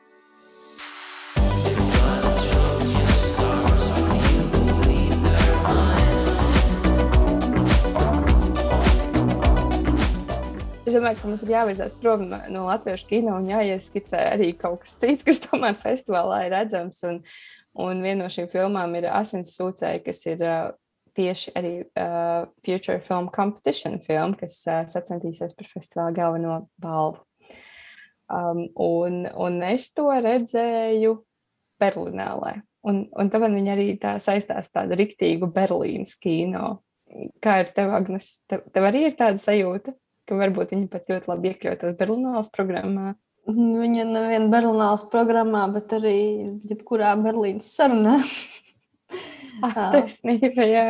S2: Es domāju, ka mums ir jāvirzās prom no latviešu kino un jāieskicē arī kaut kas cits, kas tomēr festivālā ir redzams. Un, un viena no šīm filmām ir Asins sūcēji, kas ir uh, tieši arī uh, Future Film Competition film, kas uh, sacentīsies par festivāla galveno balvu. Um, un, un es to redzēju Berlinālē. Un, un tad man viņa arī tā saistās tādu riktīgu Berlīnas kino. Kā ir tev, Agnes? Tev, tev arī ir tāda sajūta? Ka varbūt viņi pat ļoti labi iekļautos Berlīnālas programmā.
S1: Viņa nevien Berlīnālas programmā, bet arī jebkurā Berlīnas sarunā.
S2: Ah, taisnība, jā.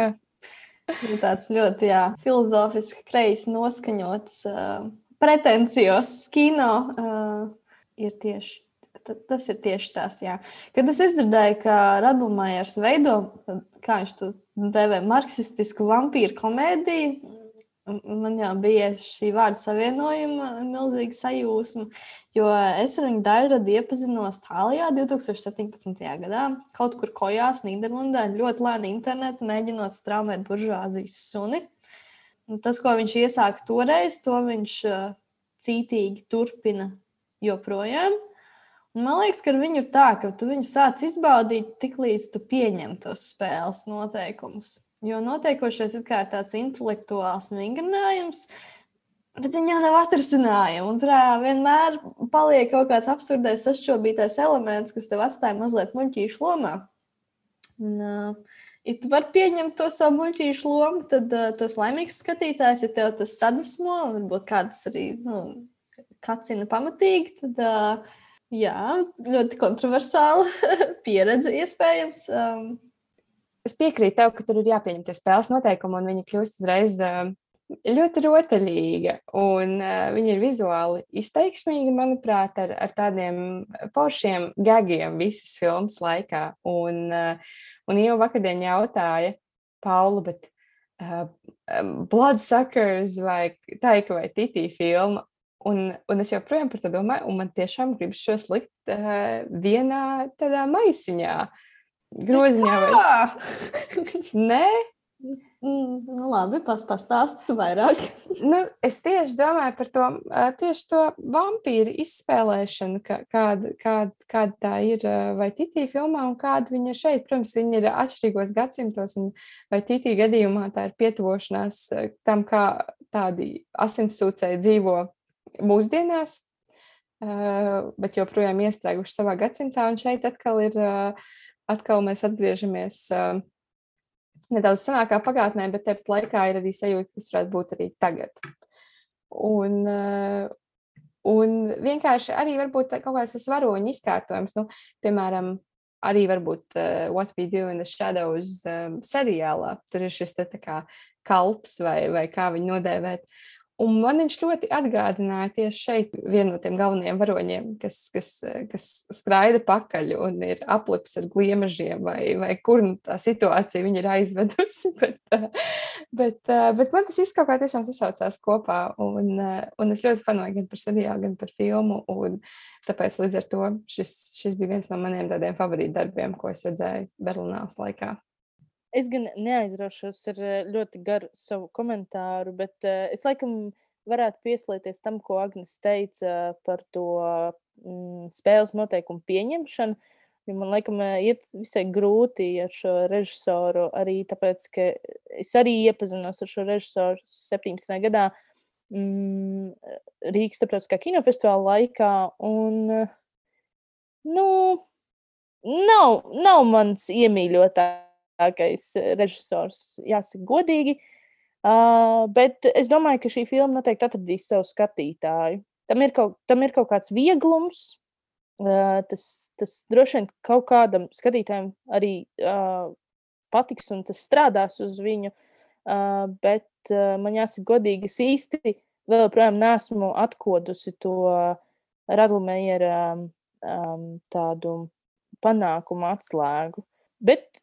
S1: Tāds ļoti, jā, filozofiski kreisi noskaņots, uh, pretencijos kino uh, ir tieši, t- tas ir tieši tās, jā. Kad es izdzirdēju, ka Radlmajers veido, kā viņš to dēvē, marksistisku vampīru komēdiju, man jau bija šī vārda savienojuma milzīga sajūsma, jo es ar viņu daļradi iepazinos Tālijā divi tūkstoši septiņpadsmitajā gadā, kaut kur kojās Nīderlandē, ļoti lēni internetu, mēģinot straumēt buržuāzijas suni. Un tas, ko viņš iesāka toreiz, to viņš cītīgi turpina joprojām. Un man liekas, ka ar viņu ir tā, ka tu viņu sāc izbaudīt tik līdz tu pieņem tos spēles noteikumus. Jo notiekošais ir kā tāds intelektuāls vingrinājums, bet viņa jau nav atrisinājuma. Un tur vienmēr paliek kaut kāds absurdais, sašķobītais elements, kas tev atstāja mazliet muļķīšu lomā. Un, uh, ja tu vari pieņemt to savu muļķīšu lomu, tad uh, tu esi laimīgs skatītājs, ja tev tas sadusmo, varbūt kādas arī, nu, kacina pamatīgi, tad uh, jā, ļoti kontroversāla pieredze iespējams. Um,
S2: Es piekrītu tev, ka tur ir jāpieņem tie spēles noteikumi, un viņa kļūst uzreiz uh, ļoti rotaļīga. Un uh, viņa ir vizuāli izteiksmīga, manuprāt, ar, ar tādiem foršiem gagiem visas filmas laikā. Un, uh, un jau vakardien jautāja Paula, bet uh, Bloodsuckers vai Taika vai Titī filma. Un, un es joprojām par to domāju, un man tiešām gribas šos likt uh, vienā tādā maisiņā. Groziņā vai nē?
S1: Mm, nu labi, pas, pastāsti vairāk.
S2: Nu, es tieši domāju par to, tieši to vampīru izspēlēšanu, kā, kāda, kāda, kāda tā ir vai Titī filmā un kāda viņa šeit. Protams, viņa ir atšķirīgos gadsimtos, un vai Titī gadījumā tā ir pietuvošanās tam, kā tādi asinssūcēji dzīvo mūsdienās, bet joprojām iestrēguši savā gadsimtā, un šeit atkal ir Atkal mēs atgriežamies uh, nedaudz senākā pagātnē, bet tepat laikā ir arī sajūta, kas varētu būt arī tagad. Un, uh, un vienkārši arī varbūt kaut kāds tas varoņu izkārtojums, nu, piemēram, arī varbūt uh, What We Do in the Shadows um, seriālā. Tur ir šis te tā kā kalps vai, vai kā viņu nodēvēt. Un man viņš ļoti atgādināja tieši šeit vienu no tiem galvenajiem varoņiem, kas, kas, kas skraida pakaļ un ir aplips ar gliemežiem, vai, vai kur nu tā situācija viņa ir aizvedusi. Bet, bet, bet man tas viss kaut kā tiešām sasaucās kopā, un, un es ļoti fanoju gan par seriālu, gan par filmu, un tāpēc līdz ar to šis, šis bija viens no maniem tādiem favorītu darbiem, ko es redzēju Berlīnās laikā.
S3: Es gan neaizraušos ar ļoti garu savu komentāru, bet uh, es laikam varētu pieslēties tam, ko Agnes teica par to mm, spēles noteikumu pieņemšanu. Jo man laikam iet visai grūti ar šo režisoru, arī tāpēc, ka es arī iepazinos ar šo režisoru septiņpadsmitajā gadā mm, Rīgas starptautiskā kinofestivāla laikā. Un, nu, nav, nav mans iemīļotājs. Režisors, jāsaka godīgi, uh, bet es domāju, ka šī filma noteikti atradīs savu skatītāju. Tam ir kaut, tam ir kaut kāds vieglums, uh, tas, tas droši vien kaut kādam skatītājam arī uh, patiks un tas strādās uz viņu, uh, bet uh, man jāsaka godīgi, es īsti vēl projām neesmu atkodusi to Radlmejera um, tādu panākumu atslēgu. Bet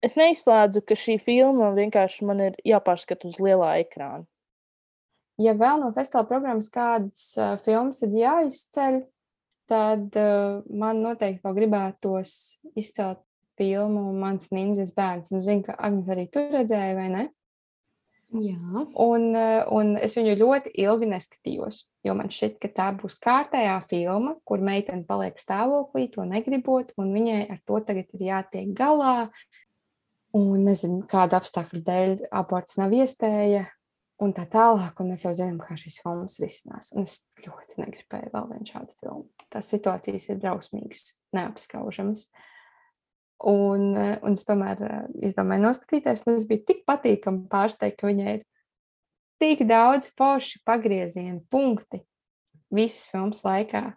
S3: es neizslēdzu, ka šī filma vienkārši man ir jāpārskata uz lielā ekrāna.
S2: Ja vēl no festivāla programmas kādas uh, filmas ir jāizceļ, tad uh, man noteikti vēl gribētos izcelt filmu Mans nindzes bērns. Un zinu, ka Agnes arī tur redzēja, vai ne?
S1: Jā.
S2: Un, uh, un es viņu ļoti ilgi neskatījos, jo man šķiet, ka tā būs kārtējā filma, kur meitene paliek stāvoklī, to negribot, un viņai ar to tagad ir jātiek galā. Un nezinu, kāda apstākļu dēļ aborts nav iespēja, un tā tālāk, un mēs jau zinām, kā šīs filmas risinās. Un es ļoti negribēju vēl vienu šādu filmu. Tās situācijas ir drausmīgas, neapskaužamas. Un, un es tomēr izdomāju noskatīties, un es biju tik patīkami pārsteigta, ka viņai ir tik daudz forši pagriezienu punkti visas filmas laikā,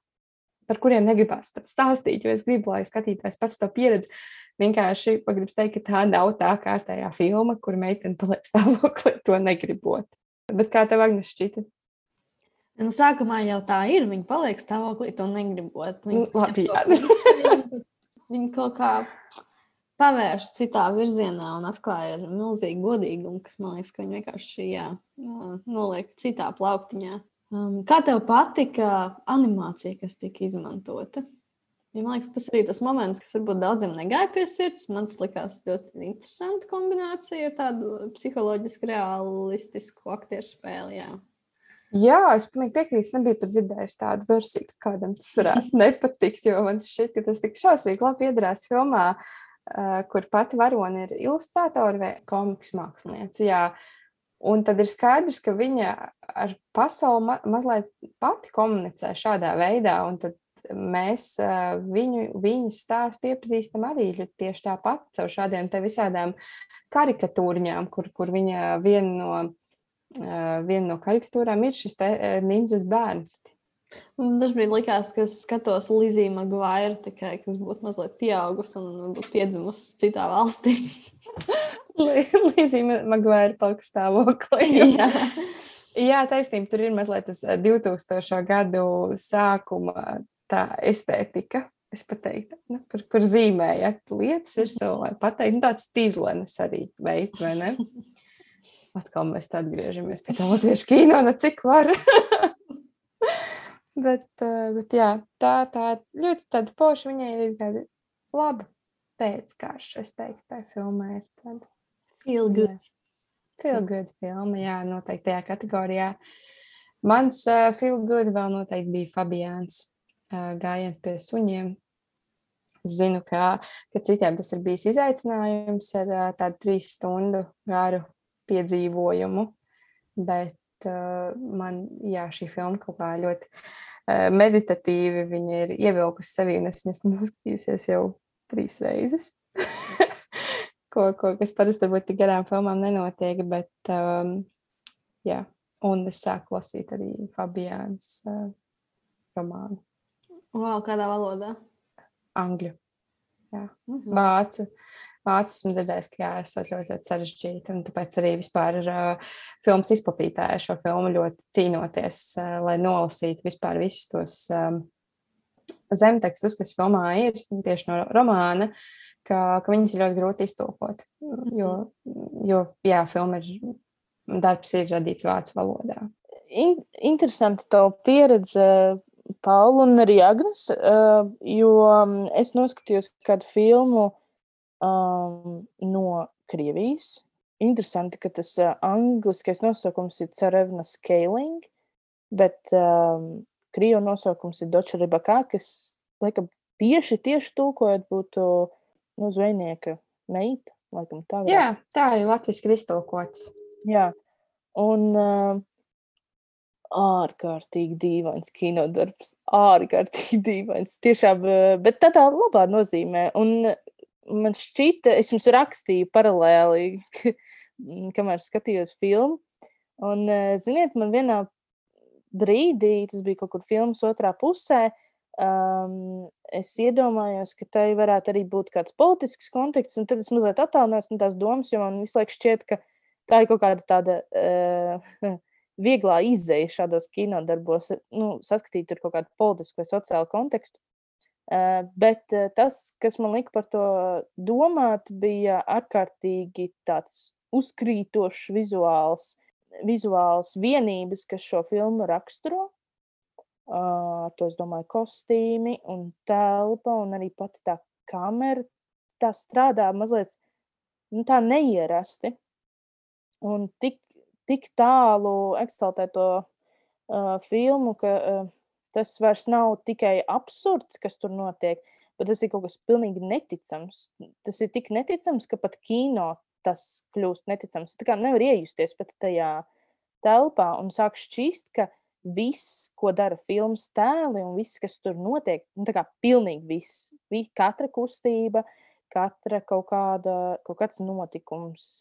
S2: par kuriem negribās pat stāstīt, jo es gribu, lai skatītājs pats to pieredzi. Vienkārši pagribas teikt, ka tā nav tā kārtējā filma, kur meitene paliek stāvoklī, to negribot. Bet kā tev, Agnes, šķita?
S1: Nu, sākumā jau tā ir. Viņa paliek stāvoklī, to negribot. Viņa,
S2: Nu, labi, jā.
S1: viņa, viņa kaut kā pavērš citā virzienā un atklāja ar milzīgu godīgumu, kas man liekas, ka viņa vienkārši jā, noliek citā plauktiņā. Um, kā tev patika animācija, kas tika izmantota? Ja man liekas, tas arī tas moments, kas varbūt daudziem negāja pie sirds. Man tas likās ļoti interesanta kombinācija ar tādu psiholoģiski realistisku aktieru spēli. Jā,
S2: Jā, es pilnīgi piekrītu. Es nebiju pat dzirdējusi tādu versiju, ka kādam tas varētu nepatikt, jo man šķiet, ka tas tik šausmīgi labi iedarās filmā, uh, kur pati varone ir ilustrātori vai komiks mākslinieci. Jā. Un tad ir skaidrs, ka viņa ar pasauli ma mazliet pati komunicē šādā veidā, un tad mēs uh, viņu, viņas stāstu iepazīstam arī tieši tāpat caur šādiem te visādām karikatūriņām, kur, kur viņa viena no, uh, viena no karikatūrām ir šis te uh, nindzes bērns.
S1: Man dažbrīd likās, ka es skatos Lizzie Maguire, tikai kas būtu mazliet pieaugusi un būtu piedzimusi citā valstī.
S2: Lizzie Maguire palika stāvoklī.
S1: Jā.
S2: Jā, taisnība, tur ir mazliet tas divtūkstošo gadu sākuma tā estētika, es pateiktu, nu, kur, kur zīmējat lietas virsū, lai pateikt, nu, tāds tīzlenes arī veids, vai ne? Atkal mēs tā atgriežamies pie tā latviešu kino, ne cik var. bet, bet jā, tā, tā ļoti tāda forša, viņai ir tāda laba pēckārša, es teiktu, tā filmā ir tāda.
S1: Feel good.
S2: Feel good filma, jā, noteikti tajā kategorijā. Mans uh, feel good vēl noteikti bija Fabiāns uh, gājiens pie suņiem. Zinu, ka, ka citiem tas ir bijis izaicinājums ar uh, tādu trīs stundu garu piedzīvojumu, bet uh, man, jā, šī filma kaut kā ļoti uh, meditatīvi viņa ir ievilkusi sevi, un es esmu noskatījusies jau trīs reizes. Ko, ko, kas parasti varbūt tik garām filmām nenotiek, bet, um, jā, un es sāku lasīt arī Fabiāns uh, romānu.
S1: Wow, kādā valodā?
S2: Angļu, jā, vācu. Vācu esmu dzirdējis, ka jā, esot ļoti, ļoti sarežģīti, un tāpēc arī vispār uh, filmas izplatītāji šo filmu ļoti cīnoties, uh, lai nolasītu vispār visus tos um, zemtekstus, kas filmā ir, tieši no romāna, ka, ka viņas ir ļoti grūti iztulkot, jo, jo jā, filma ir, darbs ir radīts vācu valodā.
S3: In, interesanti tavu pieredze, Paula un arī Agnes, uh, jo es noskatījos kādu filmu um, no Krievijas. Interesanti, ka tas uh, angliskais nosaukums ir Tsarevna Scaling, bet um, krievu nosaukums ir Doča Rybaka, kas, laikam, tieši, tieši tulkojot būtu nu, zvejnieka meita, laikam tā.
S2: Jā, tā arī latviski ir iztulkots.
S3: Jā, un uh, ārkārtīgi dīvains kinodarbs, ārkārtīgi dīvains, tiešām, uh, bet tādā labā nozīmē. Un man šķita, es jums rakstīju paralēli, kamēr skatījos filmu, un, uh, ziniet, man vienā brīdī, tas bija kaut kur filmas otrā pusē, Um, es iedomājos, ka tai varētu arī būt kāds politisks konteksts, un tad es mazliet attālinājos no tās domas, jo man visu laiku šķiet, ka tā ir kaut kāda tāda uh, vieglā izēja šādos kinodarbos, nu, saskatīt tur kaut kādu politisku vai sociālu kontekstu. Uh, bet uh, tas, kas man lika par to domāt, bija ārkārtīgi tāds uzkrītošs vizuāls, vizuāls vienības, kas šo filmu raksturo. Uh, to es domāju kostīmi un telpa un arī pati tā kamera, tā strādā mazliet nu, tā neierasti un tik, tik tālu ekstaltē to uh, filmu, ka uh, tas vairs nav tikai absurds, kas tur notiek, bet tas ir kaut kas pilnīgi neticams. Tas ir tik neticams, ka pat kino tas kļūst neticams. Tā kā nevar iejusties pat tajā telpā un sāk šķist, ka viss, ko dara filmas tēli un viss, kas tur notiek, nu tā kā pilnīgi viss, viss katra kustība, katra kaut kāda, kaut kāds notikums,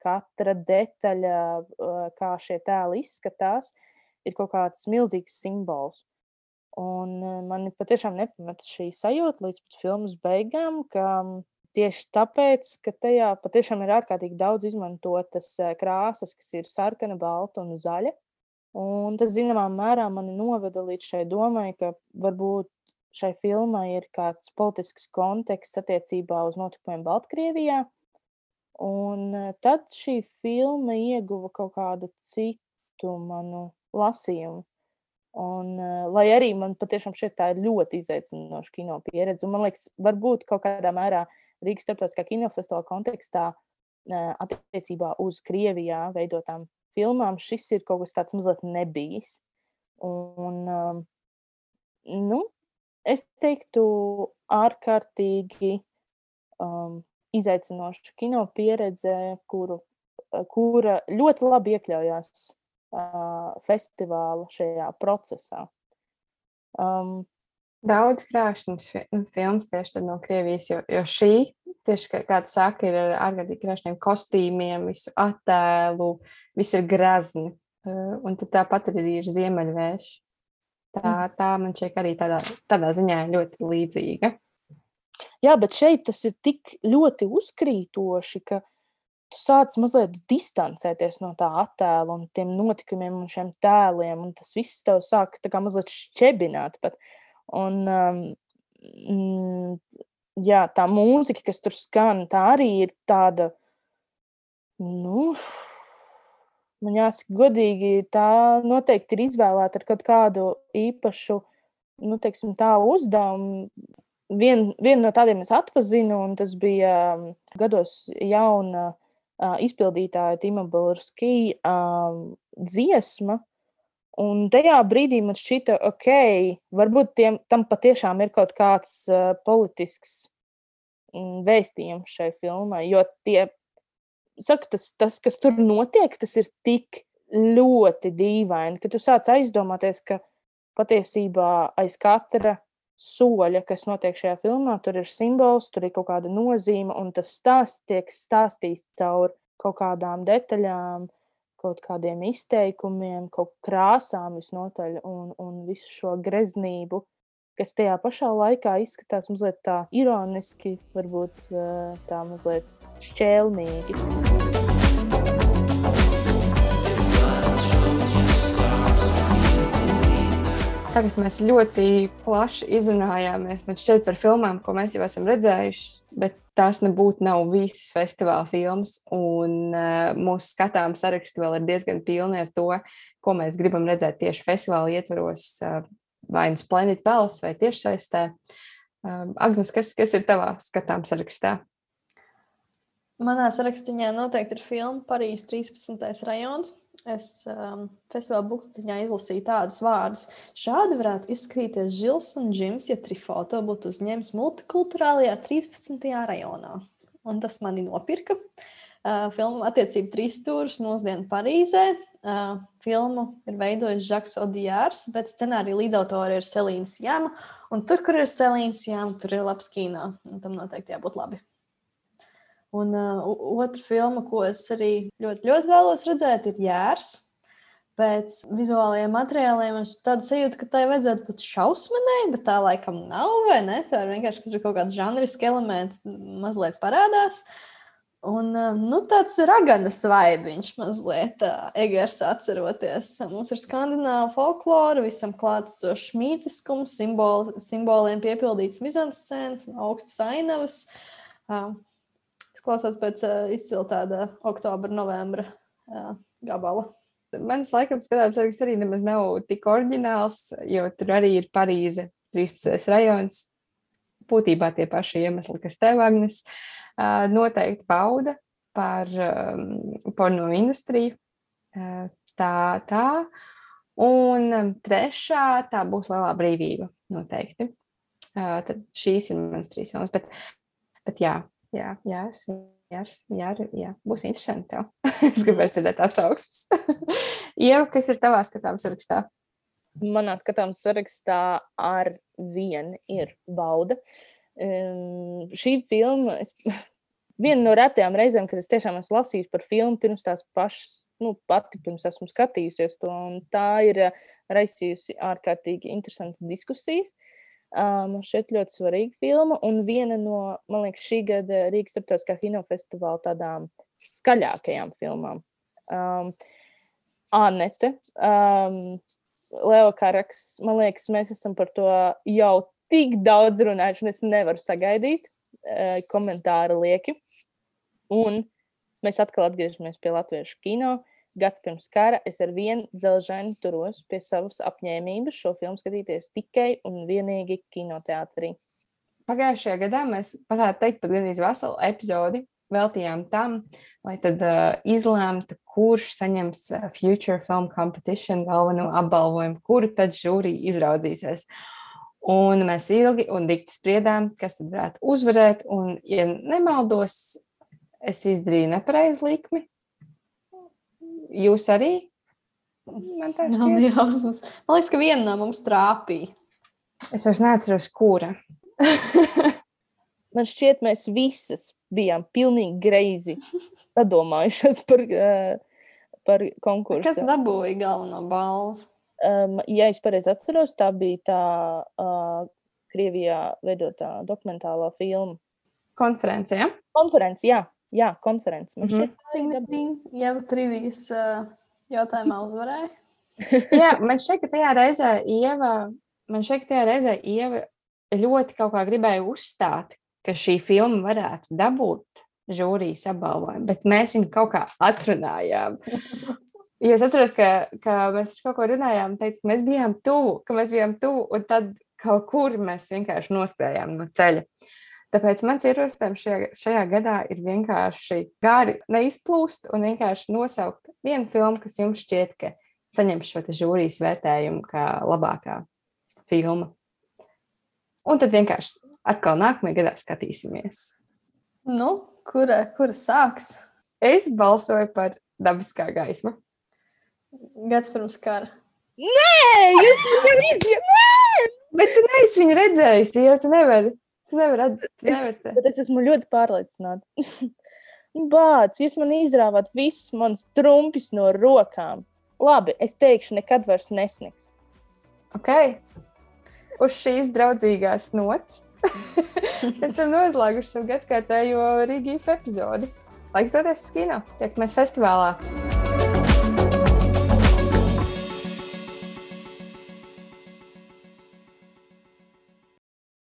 S3: katra detaļa, kā šie tēli izskatās, ir kaut kāds milzīgs simbols. Un man patiešām nepameta šī sajūta līdz pat filmas beigām, ka tieši tāpēc, ka tajā patiešām ir ārkārtīgi daudz izmantotas krāsas, kas ir sarkana, balta un zaļa. Un tas, zināmā mērā, mani noveda līdz šai domai, ka varbūt šai filmai ir kāds politisks konteksts attiecībā uz notikumiem Baltkrievijā. Un tad šī filma ieguva kaut kādu citu manu lasījumu. Un, lai arī man patiešām šeit tā ir ļoti izaicinoša kino pieredze. Un man liekas, varbūt kaut kādā mērā Rīgas starptautiskā kinofestivāla kontekstā attiecībā uz Krievijā veidotām filmām šis ir kaut kas tāds mazliet nebijis. Un, um, nu, es teiktu ārkārtīgi um, izaicinoša kino pieredze, kuru, kura ļoti labi iekļaujās uh, festivāla šajā procesā. Um,
S2: Daudz krāšņas filmas tieši tad no Krievijas, jo, jo šī, tieši kā tu saki, ir ar ārkārtīgi krāšņiem kostīmiem, visu attēlu, viss ir grazni. Un tad tāpat arī ir ziemeļvējš. Tā, tā man šķiet arī tādā, tādā ziņā ļoti līdzīga.
S3: Jā, bet šeit tas ir tik ļoti uzkrītoši, ka tu sāc mazliet distancēties no tā attēla un tiem notikumiem un šiem tēliem, un tas viss tev sāk tā kā mazliet šķebināt pat. Un, um, mm, jā, tā mūzika, kas tur skan, tā arī ir tāda, nu, man jāsaka godīgi, tā noteikti ir izvēlēta ar kaut kādu īpašu, nu, teiksim, tā uzdevumu. Vien, vienu no tādiem es atpazinu, un tas bija um, gados jauna uh, izpildītāja Tima Balurski um, dziesma, un tajā brīdī man šķita, ok, varbūt tiem, tam patiešām ir kaut kāds uh, politisks mm, vēstījums šai filmai, jo tie, saka, tas, tas, kas tur notiek, tas ir tik ļoti dīvaini, ka tu sāc aizdomāties, ka patiesībā aiz katra soļa, kas notiek šajā filmā, tur ir simbols, tur ir kaut kāda nozīme, un tas stāsts tiek stāstīts caur kaut kādām detaļām, kaut kādiem izteikumiem, kaut krāsām visnotaļ, un, un visu šo greznību, kas tajā pašā laikā izskatās mazliet tā ironiski, varbūt tā mazliet šķēlnīgi.
S2: Tagad mēs ļoti plaši izrunājāmies, man šķiet, par filmām, ko mēs jau esam redzējuši, bet tās nebūtu nav visas festivāla filmas, un uh, mūsu skatām saraksti vēl ir diezgan pilni ar to, ko mēs gribam redzēt tieši festivāla ietvaros, uh, vai nu Splendid Palace vai tiešsaistē. Uh, Agnes, kas, kas ir tavā skatām sarakstā?
S1: Manā sarakstiņā noteikti ir filma Parīzes trīspadsmitais rajons. Es um, festivāla buktiņā izlasīju tādus vārdus. Šādi varētu izskatīties Žils un Džims, ja Trifo to būtu uzņēmis multikulturālajā trīspadsmitajā rajonā. Un tas mani nopirka. Uh, filma attiecība trīs stūrus mūsdienu Parīzē. Uh, filmu ir veidojis Žaks Odijārs, bet scenārija līdzautori ir Selīna Sjama. Un tur, kur ir Selīna Sjama, tur ir labs kino. Un tam noteikti jābūt labi. Un uh, otra filma, ko es arī ļoti, ļoti vēlos redzēt, ir Jērs. Pēc vizuālajiem materiāliem man tāda sajūta, ka tai vajadzētu būt šausmanai, bet tā laikam nav, vai ne? Tā ir vienkārši, ka tur kaut kāds žanriski elementi mazliet parādās. Un uh, nu, tāds raganas vaibiņš mazliet, uh, Egers atceroties. Mums ir skandināva folklora, visam klātesošs mītiskums, simboli, simboliem piepildīts mizanscēns, augstas ainavas. Uh, Klausās pēc uh, izcila tāda oktobra, novembra uh, gabala.
S2: Mans laikam skatās saraksts arī nemaz nav tik oriģināls, jo tur arī ir Parīze, trīspadsmitais rajons. Būtībā tie paši iemesli, kas tev, Agnes, uh, noteikti bauda par um, porno industriju. Uh, tā, tā. Un um, trešā tā būs Lielā brīvība, noteikti. Uh, tad šīs ir mans trīs filmas, bet, bet jā. Jā, jā, jā, jā, jā, būs interesanti tev. Es gribēju dzirdēt atsauksmes. Ieva, kas ir tavā skatām sarakstā?
S3: Manā skatām sarakstā ar vienu ir Bauda. Um, šī filma, es, viena no retajām reizēm, kad es tiešām esmu lasījusi par filmu pirms tās pašas, nu, pati pirms esmu skatījusies to, un tā ir raisījusi ārkārtīgi interesantas diskusijas. Man um, šeit ļoti svarīga filma, un viena no, man liekas, šī gada Rīgas starptautiskā kinofestivāla tādām skaļākajām filmām. Um, Anete, um, Leo Karaks, man liekas, mēs esam par to jau tik daudz runājuši, un es nevaru sagaidīt, uh, komentāri lieki. Un mēs atkal atgriežamies pie latviešu kino. Gads pirms kara es ar vienu dzelžaini turos pie savas apņēmības šo filmu skatīties tikai un vienīgi kinoteātrī.
S2: Pagājušajā gadā mēs varētu teikt pat gandrīz veselu epizodi veltījām tam, lai tad uh, izlēmtu, kurš saņems uh, Future Film Competition galveno apbalvojumu, kuru tad žūrī izraudzīsies. Un mēs ilgi un dikti spriedām, kas tad varētu uzvarēt, un, ja nemaldos, es izdarīju nepareizu likmi. Jūs arī? Man tā šķiet.
S1: Nav jausmas. Man liekas, ka viena no mums trāpīja.
S2: Es vairs neatceros, kura.
S3: Man šķiet, mēs visas bijām pilnīgi greizi padomājušas par, uh, par konkursu.
S1: Kas dabūja galveno balvu?
S3: Um, ja es pareizi atceros, tā bija tā uh, Krievijā veidotā dokumentālā filma.
S2: Konference, ja?
S3: Konference, jā. Jā, konference. Man šķiet, tā
S1: Ding,
S3: ir
S1: ding, ding. Jau trivijas uh, jautājumā uzvarēja.
S2: Jā, man šķiet, ka tajā reizē Ieva, man šķiet, ka tajā reizē Ieva ļoti kaut kā gribēja uzstāt, ka šī filma varētu dabūt žūrijas apbalvojumu, bet mēs viņu kaut kā atrunājām. Jo es atceros, ka, ka mēs kaut ko runājām, teicu, ka mēs bijām tuvu, ka mēs bijām tuvu, un tad kaut kur mēs vienkārši noskrējām no ceļa. Tāpēc mans ierosinājums šajā, šajā gadā ir vienkārši gari neizplūst un vienkārši nosaukt vienu filmu, kas jums šķiet, ka saņems šo žūrijas vērtējumu kā labākā filma. Un tad vienkārši atkal nākamajā gadā skatīsimies.
S1: Nu, kura, kura sāks?
S2: Es balsoju par Dabiskā gaisma.
S1: Gads pirms kara.
S3: Nē, jūs jau izjāt, nē!
S2: Bet tu neesi viņu redzējis, jo tu nevari. Tu nevari, tu nevari.
S3: Es, bet es esmu ļoti pārliecināta. Bāc, jūs man izrāvāt visas manas trumpis no rokām. Labi, es teikšu, nekad vairs nesniks.
S2: Ok. Uz šīs draudzīgās nots esam noslēguši savu gadskārtējo Rīgīfu epizodi. Laiks doties uz kino. Tiekamies festivālā.